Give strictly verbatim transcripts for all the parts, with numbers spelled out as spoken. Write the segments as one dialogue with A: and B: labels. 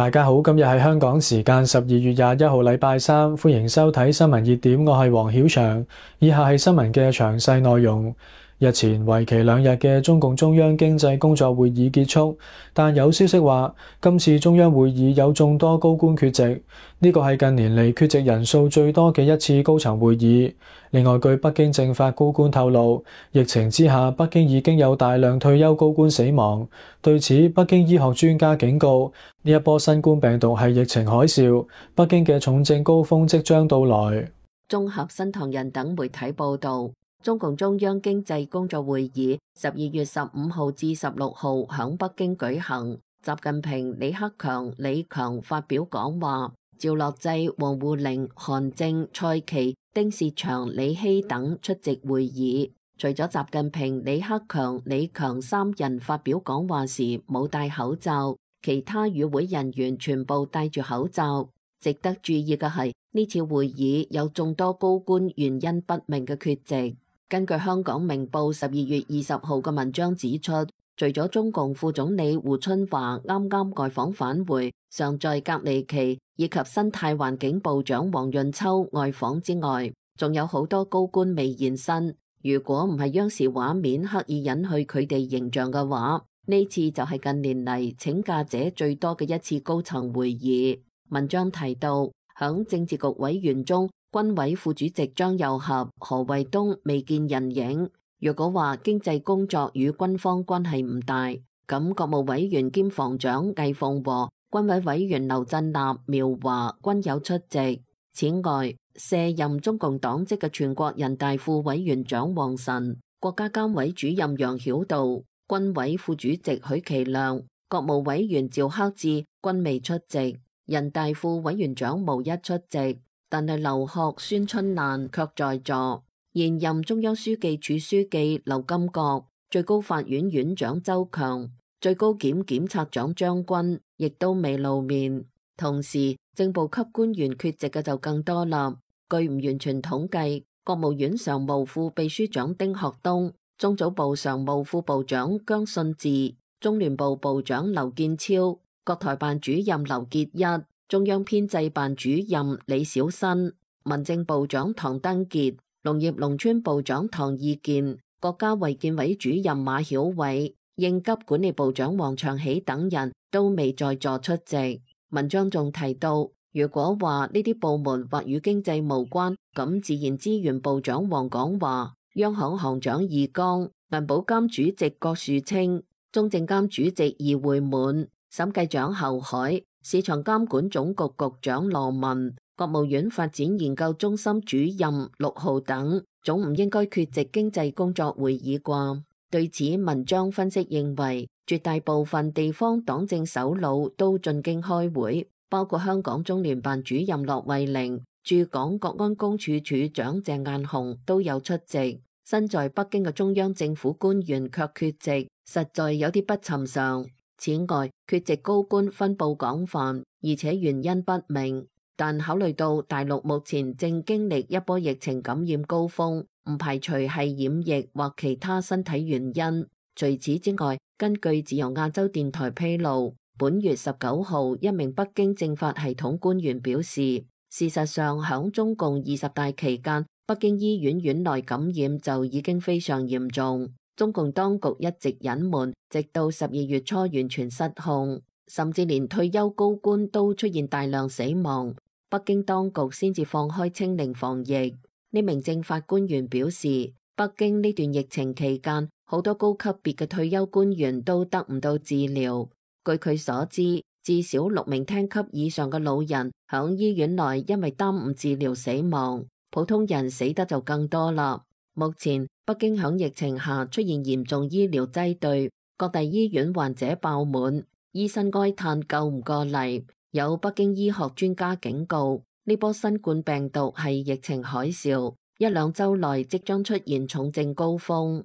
A: 大家好，今日係香港時間十二月廿一號禮拜三，歡迎收睇新聞熱點，我係黃曉翔。以下係新聞嘅詳細內容。日前為期兩日嘅中共中央經濟工作會議結束，但有消息話今次中央會議有眾多高官缺席，呢個係近年嚟缺席人數最多嘅一次高層會議。另外，據北京政法高官透露，疫情之下北京已經有大量退休高官死亡。對此，北京醫學專家警告，呢一波新冠病毒係疫情海嘯，北京嘅重症高峰即將到來。
B: 綜合新唐人等媒體報道，中共中央經濟工作會議十二月十五號至十六號響北京舉行。習近平、李克強、李強發表講話，趙樂際、王滬寧、韓正、蔡奇、丁薛祥、李希等出席會議。除咗習近平、李克強、李強三人發表講話時冇戴口罩，其他與會人員全部戴住口罩。值得注意嘅係，呢次會議有眾多高官原因不明嘅缺席。根據香港明報十二月二十號嘅文章指出，除咗中共副總理胡春華啱啱外訪返回，尚在隔離期，以及生態環境部長黃潤秋外訪之外，仲有好多高官未現身。如果唔係央視畫面刻意隱去佢哋形象嘅話，呢次就係近年嚟請假者最多嘅一次高層會議。文章提到，響政治局委員中，軍委副主席張又俠、何衛東未見人影。如果話經濟工作與軍方關係唔大，咁國務委員兼防長魏鳳和、軍委委員劉振立、苗華均有出席。此外，卸任中共黨職嘅全國人大副委員長王晨、國家監委主任楊曉渡、軍委副主席許其亮、國務委員趙克志均未出席，人大副委員長無一出席。但係劉鶴、孫春蘭卻在座。現任中央書記處書記劉金國、最高法院院長周強、最高檢檢察長張軍亦都未露面。同時，正部級官員缺席嘅就更多啦。據唔完全統計，國務院常務副秘書長丁學東、中組部常務副部長姜信治、中聯部部長劉建超、國台辦主任劉結一、中央編製辦主任李小新、民政部長唐登傑、農業農村部長唐義健、國家衛健委主任馬曉偉、應急管理部長王長喜等人都未在座出席。文章仲提到，如果話呢啲部門或與經濟無關，咁自然資源部長王廣華、央行行長易綱、銀保監主席郭樹清、中證監主席易會滿、審計長侯海、市場監管總局局長羅文、國務院發展研究中心主任陸浩等，總唔應該缺席經濟工作會議啩？對此，文章分析認為，絕大部分地方黨政首腦都進京開會，包括香港中聯辦主任駱惠寧、駐港國安公署署長鄭雁雄都有出席。身在北京嘅中央政府官員卻缺席，實在有啲不尋常。此外，缺席高官分佈廣泛，而且原因不明。但考慮到大陸目前正經歷一波疫情感染高峰，唔排除係染疫或其他身體原因。除此之外，根據自由亞洲電台披露，本月十九號，一名北京政法系統官員表示，事實上響中共二十大期間，北京醫院院內感染就已經非常嚴重。中共當局一直隱瞞，直到十二月初完全失控，甚至連退休高官都出現大量死亡，北京當局先至放開清零防疫。呢名政法官員表示，北京呢段疫情期間，好多高級別嘅退休官員都得唔到治療。據佢所知，至少六名廳級以上嘅老人響醫院內因為耽誤治療死亡，普通人死得就更多啦。目前北京響疫情下出現嚴重醫療擠兌，各大醫院患者爆滿，醫生哀嘆救唔過嚟。有北京醫學專家警告，呢波新冠病毒係疫情海嘯，一兩週內即將出現重症高峰。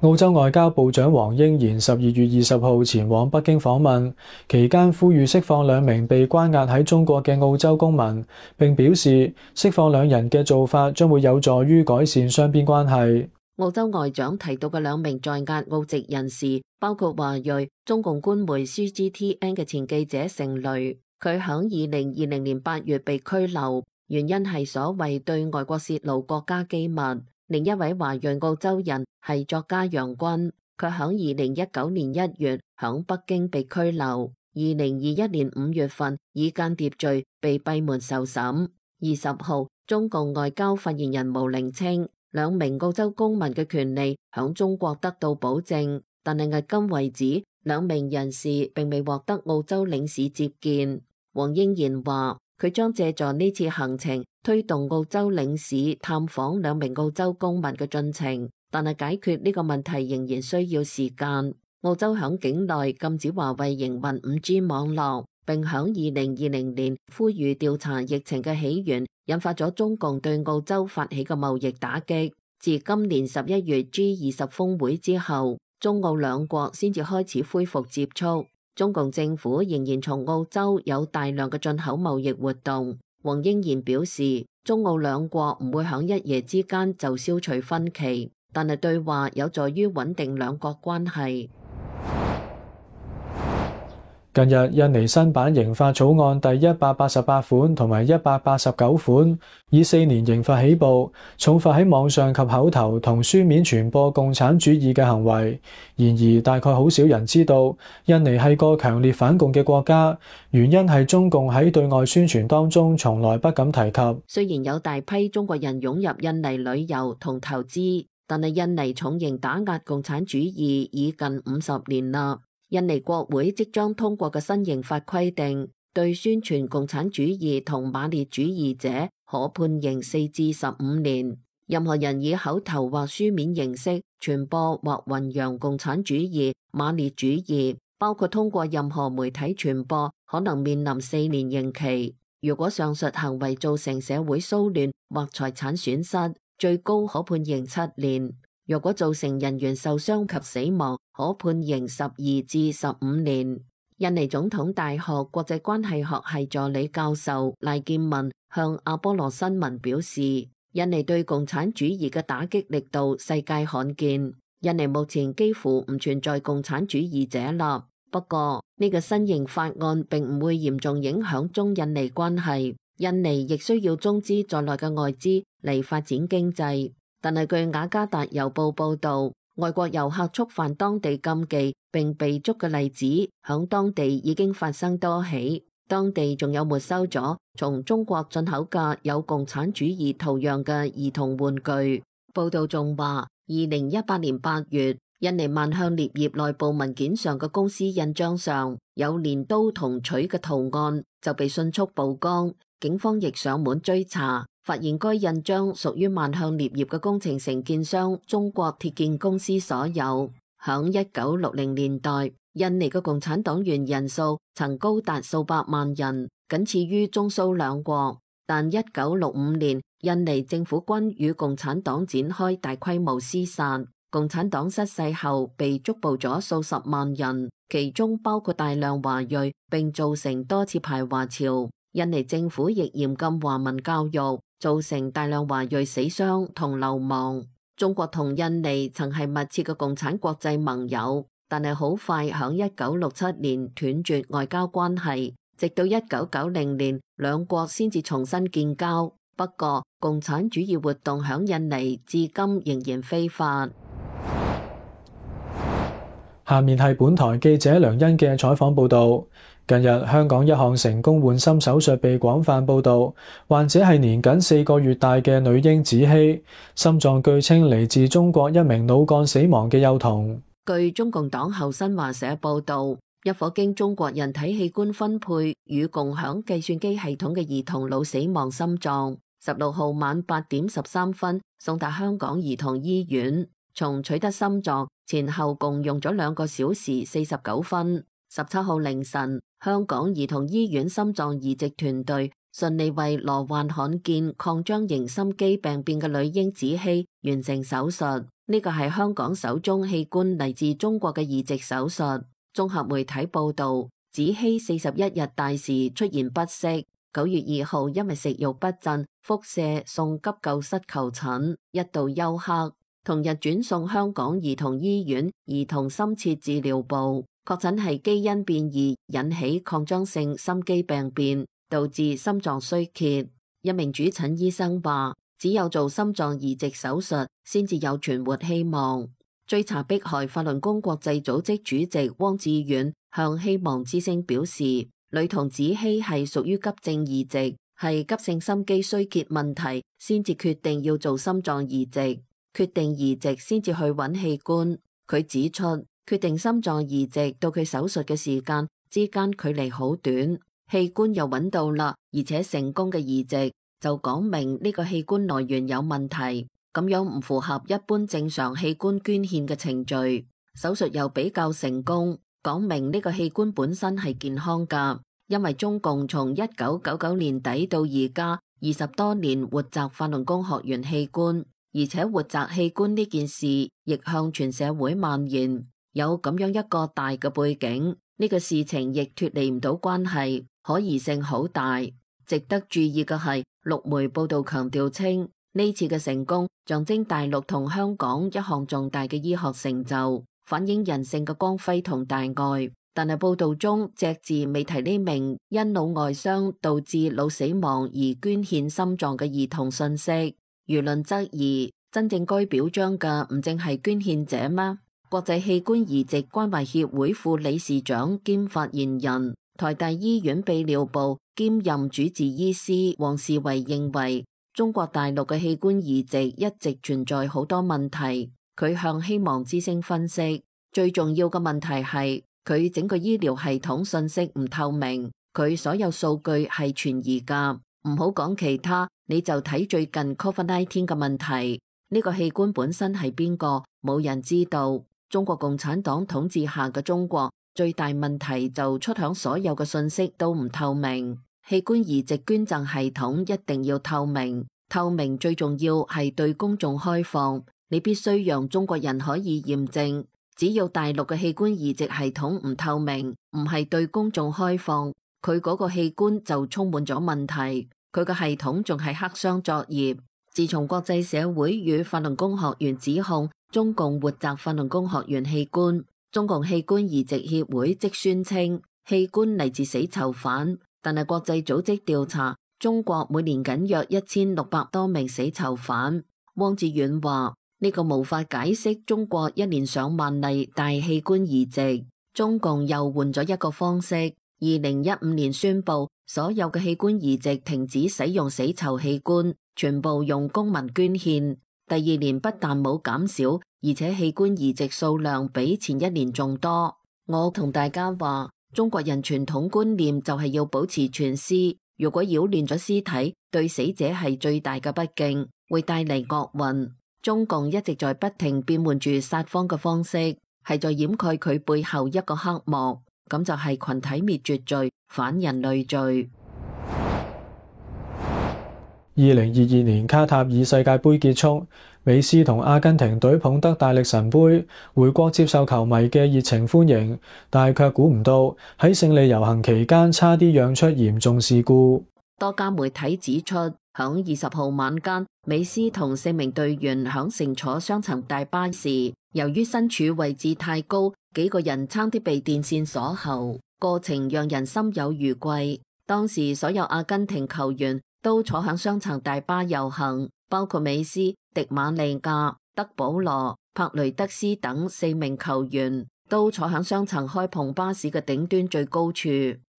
A: 澳洲外交部長黃英賢十二月二十號前往北京訪問，期間呼籲釋放兩名被關押喺中國嘅澳洲公民，並表示釋放兩人嘅做法將會有助於改善雙邊關係。
B: 澳洲外長提到嘅兩名在押澳籍人士，包括華裔中共官媒 C G T N 嘅前記者成蕾，佢響二零二零年八月被拘留，原因係所謂對外國泄露國家機密。另一位華裔澳洲人係作家楊軍，佢響二零一九年一月響北京被拘留，二零二一年五月份以間諜罪被閉門受審。二十號，中共外交發言人毛寧稱，兩名澳洲公民嘅權利響中國得到保證，但係迄今為止，兩名人士並未獲得澳洲領事接見。黃英賢話，佢將借助呢次行程推動澳洲領事探訪兩名澳洲公民嘅進程，但係解決呢個問題仍然需要時間。澳洲響境內禁止華為營運 五 G 網絡，並響二零二零年呼籲調查疫情嘅起源，引發咗中共對澳洲發起嘅貿易打擊。自今年十一月 G 二十峰會之後，中澳兩國先至開始恢復接觸。中共政府仍然從澳洲有大量嘅進口貿易活動。黃英賢表示，中澳兩國唔會響一夜之間就消除分歧，但係對話有助於穩定兩國關係。
A: 近日，印尼新版刑法草案第一百八十八款同埋一百八十九款以四年刑罰起步，重罰喺網上及口頭同書面傳播共產主義嘅行為。然而，大概好少人知道，印尼係個強烈反共嘅國家，原因係中共喺對外宣傳當中從來不敢提及。
B: 雖然有大批中國人湧入印尼旅遊同投資，但係印尼重刑打壓共產主義已近五十年啦。印尼國會即將通過嘅新刑法規定，對宣傳共產主義同馬列主義者可判刑四至十五年。任何人以口頭或書面形式傳播或弘揚共產主義、馬列主義，包括通過任何媒體傳播，可能面臨四年刑期。如果上述行為造成社會騷亂或財產損失，最高可判刑七年。若果造成人員受傷及死亡，可判刑十二至十五年。印尼總統大學國際關係學系助理教授賴建文向阿波羅新聞表示，印尼對共產主義嘅打擊力度世界罕見，印尼目前幾乎唔存在共產主義者啦。不過呢個新型法案並唔會嚴重影響中印尼關係，印尼亦需要中資在內嘅外資嚟發展經濟。但係據雅加達郵報報導，外國遊客觸犯當地禁忌並被捉嘅例子，響當地已經發生多起。當地仲有沒收咗從中國進口嘅有共產主義圖樣嘅兒童玩具。報導仲話，二零一八年八月，印尼萬向鋰業內部文件上嘅公司印章上有鐮刀同錘嘅圖案，就被迅速曝光。警方亦上門追查，發現該印章屬於萬向鋰業嘅工程承建商中國鐵建公司所有。響一九六零年代，印尼嘅共產黨員人數曾高達數百萬人，僅次於中蘇兩國。但一九六五年，印尼政府軍與共產黨展開大規模廝殺，共產黨失勢後被捉捕咗數十萬人，其中包括大量華裔，並造成多次排華潮。印尼政府亦嚴禁華文教育，造成大量華裔死傷同流亡。中國同印尼曾係密切嘅共產國際盟友，但係好快響一九六七年斷絕外交關係，直到一九九零年兩國先至重新建交。不過，共產主義活動響印尼至今仍然非法。
A: 下面係本台記者梁欣嘅採訪報導。近日，香港一項成功換心手術被廣泛報導，患者係年僅四個月大嘅女嬰子希，心臟據稱嚟自中國一名腦幹死亡嘅幼童。
B: 據中共黨後新華社報導，一顆經中國人體器官分配與共享計算機系統嘅兒童腦死亡心臟，十六號晚八點十三分送達香港兒童醫院。從取得心臟前後共用咗兩個小時四十九分。十七號凌晨，香港兒童醫院心臟移植團隊順利為罹患罕見擴張型心肌病變嘅女嬰子希完成手術。呢個係香港首宗器官嚟自中國嘅移植手術。綜合媒體報道，子希四十一日大時出現不適，九月二號因為食慾不振，腹瀉送急救室求診，一度休克。同日轉送香港兒童醫院兒童深切治療部，確診係基因變異引起擴張性心肌病變，導致心臟衰竭。一名主診醫生話，只有做心臟移植手術先至有存活希望。追查迫害法輪功國際組織主席汪志遠向希望之聲表示，女童子希係屬於急症移植，係急性心肌衰竭問題先至決定要做心臟移植，決定移植先至去揾器官。佢指出，決定心臟移植到佢手術嘅時間之間距離好短，器官又揾到啦，而且成功嘅移植就講明呢個器官來源有問題，咁樣唔符合一般正常器官捐獻嘅程序。手術又比較成功，講明呢個器官本身係健康㗎。因為中共從一九九九年底到而家二十多年活摘法輪功學員器官，而且活摘器官呢件事亦向全社會蔓延，有咁樣一個大嘅背景，呢個事情亦脫離唔到關係，可疑性好大。值得注意嘅係，陸媒報道強調稱，呢次嘅成功象徵大陸同香港一項重大嘅醫學成就，反映人性嘅光輝同大愛。但係報道中隻字未提呢名因腦外傷導致腦死亡而捐獻心臟嘅兒童信息。輿論質疑，真正該表彰嘅唔淨係捐獻者嗎？國際器官移植關懷協會副理事長兼發言人、台大醫院泌尿部兼任主治醫師黃士維認為，中國大陸嘅器官移植一直存在好多問題。佢向希望之聲分析，最重要嘅問題係佢整個醫療系統信息唔透明，佢所有數據係存疑㗎。唔好講其他，你就睇最近 COVID 十九 嘅問題，呢個器官本身係邊個，冇人知道。中國共產黨統治下嘅中國最大問題就出響所有嘅信息都唔透明。器官移植捐贈系統一定要透明，透明最重要係對公眾開放，你必須讓中國人可以驗證。只要大陸嘅器官移植系統唔透明，唔係對公眾開放，佢嗰個器官就充滿咗問題，佢個系統仲係黑箱作業。自從國際社會與法輪功學員指控中共活摘法輪功學員器官，中共器官移植協會即宣稱器官嚟自死囚犯，但係國際組織調查，中國每年僅約一千六百多名死囚犯。汪志遠話，呢個無法解釋中國一年上萬例大器官移植。中共又換咗一個方式，二零一五年宣布所有嘅器官移植停止使用死囚器官，全部用公民捐獻。第二年不但冇減少，而且器官移植數量比前一年仲多。我同大家話，中國人傳統觀念就係要保持全屍，如果擾亂咗屍體，對死者係最大嘅不敬，會帶嚟惡運。中共一直在不停變換住撒謊嘅方式，係在掩蓋佢背後一個黑幕，咁就係群體滅絕罪、反人類罪。
A: 二零二二年卡塔爾世界盃結束，美斯同阿根廷隊捧得大力神杯，回國接受球迷嘅熱情歡迎，但係卻估唔到喺勝利遊行期間差啲釀出嚴重事故。
B: 多家媒體指出，響二十號晚間，美斯同四名隊員響乘坐雙層大巴時，由於身處位置太高，幾個人差啲被電線鎖喉，過程讓人心有餘悸。當時所有阿根廷球員都坐響雙層大巴遊行，包括美斯、迪馬利亞、德保羅、帕雷德斯等四名球員，都坐響雙層開篷巴士嘅頂端最高處。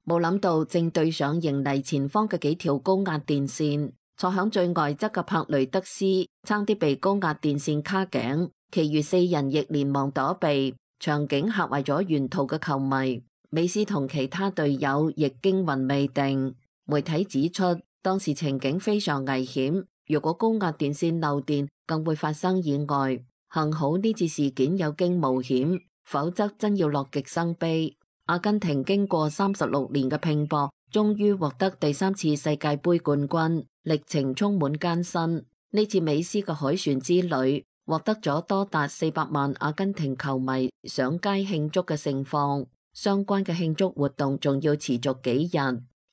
B: 冇諗到正對上迎嚟前方嘅幾條高壓電線，坐響最外側嘅帕雷德斯差啲被高壓電線卡頸，其餘四人亦連忙躲避，場景嚇壞咗沿途嘅球迷。美斯同其他隊友亦驚魂未定。媒體指出，當時情景非常危險，如果高壓電線漏電，更會發生意外。幸好呢次事件有驚無險，否則真要樂極生悲。阿根廷經過三十六年嘅拼搏，終於獲得第三次世界盃冠軍，歷程充滿艱辛。呢次美斯嘅凱旋之旅，獲得咗多達四百萬阿根廷球迷上街慶祝嘅盛況。相關嘅慶祝活動仲要持續幾日，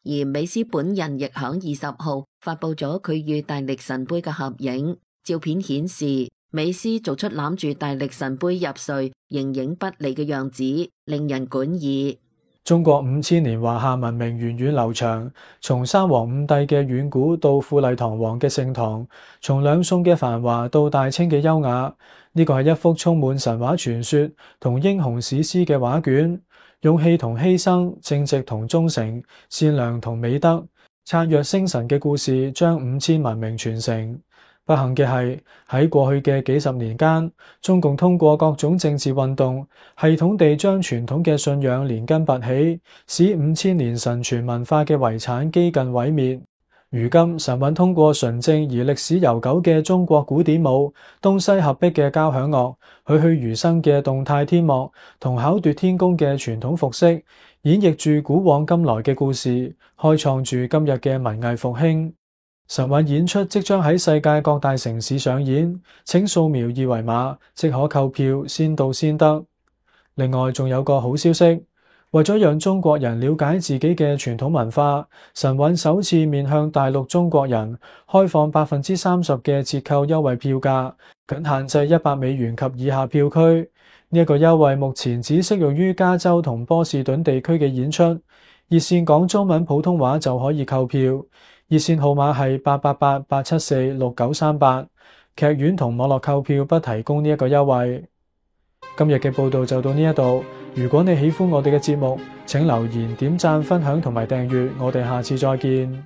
B: 而美斯本人亦響二十號發佈咗佢與大力神杯嘅合影。照片顯示，美斯做出攬住大力神杯入睡、形影不離嘅樣子，令人莞爾。
A: 中國五千年華夏文明源遠流長，從三皇五帝嘅遠古到富麗堂皇嘅盛唐，從兩宋嘅繁華到大清嘅優雅。呢個係一幅充滿神話傳說同英雄史詩嘅畫卷，勇氣同犧牲、正直同忠誠、善良同美德、燦若星辰嘅故事，將五千文明傳承。不幸嘅係，喺過去嘅幾十年間，中共通過各種政治運動，系統地將傳統嘅信仰連根拔起，使五千年神傳文化嘅遺產幾近毀滅。如今，神韻通過純正而歷史悠久嘅中國古典舞、東西合璧嘅交響樂、栩栩如生嘅動態天幕同巧奪天工嘅傳統服飾，演繹住古往今來嘅故事，開創住今日嘅文藝復興。神韻演出即將喺世界各大城市上演，請掃描二維碼即可購票，先到先得。另外仲有個好消息，為咗讓中國人了解自己嘅傳統文化，神韻首次面向大陸中國人開放百分之三十嘅折扣優惠票價，僅限制一百美元及以下票區。呢一個優惠目前只適用於加州同波士頓地區嘅演出，熱線講中文普通話就可以購票。熱線號碼係八八八八七四六九三八，劇院同網絡購票不提供呢一個優惠。今日嘅報道就到呢一度，如果你喜歡我哋嘅節目，請留言、點讚、分享同埋訂閱，我哋下次再見。